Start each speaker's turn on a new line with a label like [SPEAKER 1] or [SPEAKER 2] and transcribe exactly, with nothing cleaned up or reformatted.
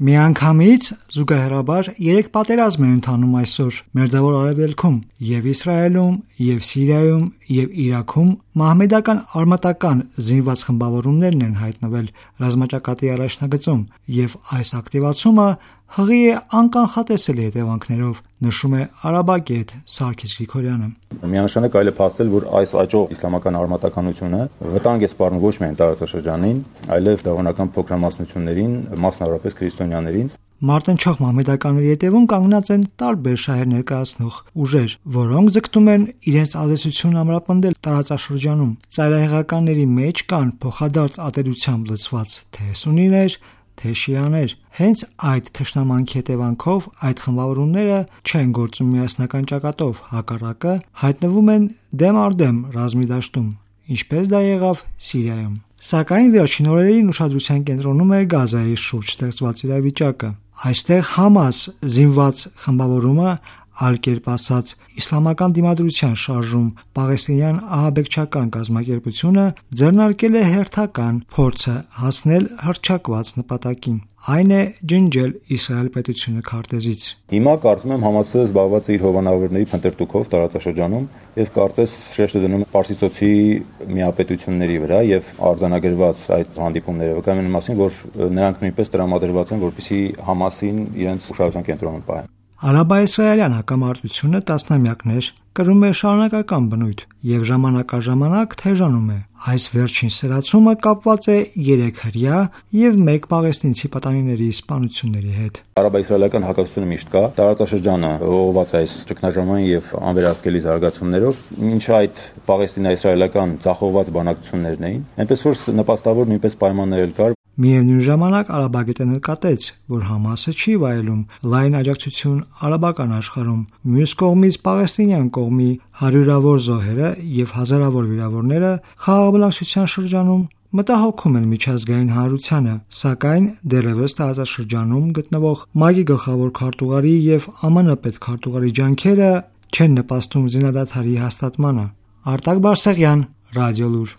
[SPEAKER 1] Միանգամից զուգահեռաբար երեք պատերազմ են ընթանում այսօր Մերձավոր Արևելքում, եւ Իսրայելում, եւ Սիրիայում, եւ Իրաքում մահմեդական արմատական զինված խմբավորումներն են հայտնվել ռազմաճակատի առաջնագծում, եւ այս ակտիվացումը հղի է անկանխատեսելի հետևանքներով, նշում է Արաբագետ Սարգիս Գրիգորյանը։
[SPEAKER 2] Միանշանակ այլ է փաստել, որ այս աճող իսլամական արմատականությունը վտանգ է սպառնում ոչ միայն տարածաշրջանին, այլև դավանական փոքրամասնություններին, մասնավորապես քրիստոնյաներին։
[SPEAKER 1] Մարտնչող մահմեդականների հետևում կանգնած են տարբեր շահեր ներկայացնող ուժեր, որոնք ձգտում են իրենց ազդեցությունն ամրապնդել տարածաշրջանում։ Ծայրահեղականների մեջ կան փոխադարձ ատելությամբ լցված թե սուննիներ, թե շիաներ։ Հենց այդ թշնամանքի հետևանքով այդ խմբավորումները չեն գործում միասնական ճակատով, հակառակը հայտնվում են դեմ առ դեմ ռազմի դաշտում, ինչպես դա եղավ Սիրիայում։ Սակայն վերջին օրերին ուշադրության կենտրոնում է Գազայի շուրջ ստեղծված իրավիճակը։ Այստեղ Համաս զինված խմբավորումը, այլ կերպ ասած իսլամական դիմադրության շարժում պաղեստինյան ահաբեկչական կազմակերպությունը ձեռնարկել է հերթական փորձը հասնել հռչակված նպատակին, այն է ջնջել Իսրայել պետությունը քարտեզից։
[SPEAKER 2] Հիմա կարծում եմ Համասը զբաղված է իր հովանավորների փնտրտուքով տարածաշրջանում եւ կարծես շեշտը դնում Պարսիցոցի միապետությունների վրա եւ արձանագրված այդ հանդիպումները վկայում են մասին, որ նրանք նույնպես տրամադրված են, որպեսզի Համասին իրենց ուշադրության կենտրոնում պահեն։
[SPEAKER 1] Արաբա-իսրայելյան հակամարտությունը տասնամյակներ կրում է շարունակական բնույթ եւ ժամանակ առ ժամանակ թեժանում է։ Այս վերջին սրացումը կապված է երեք հրեա եւ մեկ պաղեստինցի պատանիների սպանությունների հետ։
[SPEAKER 2] Արաբա-իսրայելական հակասությունը միշտ կա, տարածաշրջանը ողողված այս ճգնաժամային եւ անվերահսկելի զարգացումներով, ինչ այդ պաղեստինա-իսրայելական ցախողված բանակցություններն էին, այնպես որ նպաստավոր նույնպես պայմաններ էլ կար։
[SPEAKER 1] Միևնույն ժամանակ Արաբագետը նկատեց, որ Համասը չի վայելում լայն աջակցություն արաբական աշխարհում։ Մյուս կողմից պաղեստինյան կողմի հարյուրավոր զոհերը եւ հազարավոր վիրավորները խաղաղբնակչության շրջանում մտահոգում են միջազգային հանրությանը, սակայն դեռևս տարածաշրջանում գտնվող ՄԱԿ-ի գլխավոր քարտուղարի եւ ԱՄՆ պետքարտուղարի ջանքերը չեն նպաստում զինադադարի հաստատմանը։ Արտակ Բարսեղյան, Ռադիոլուր։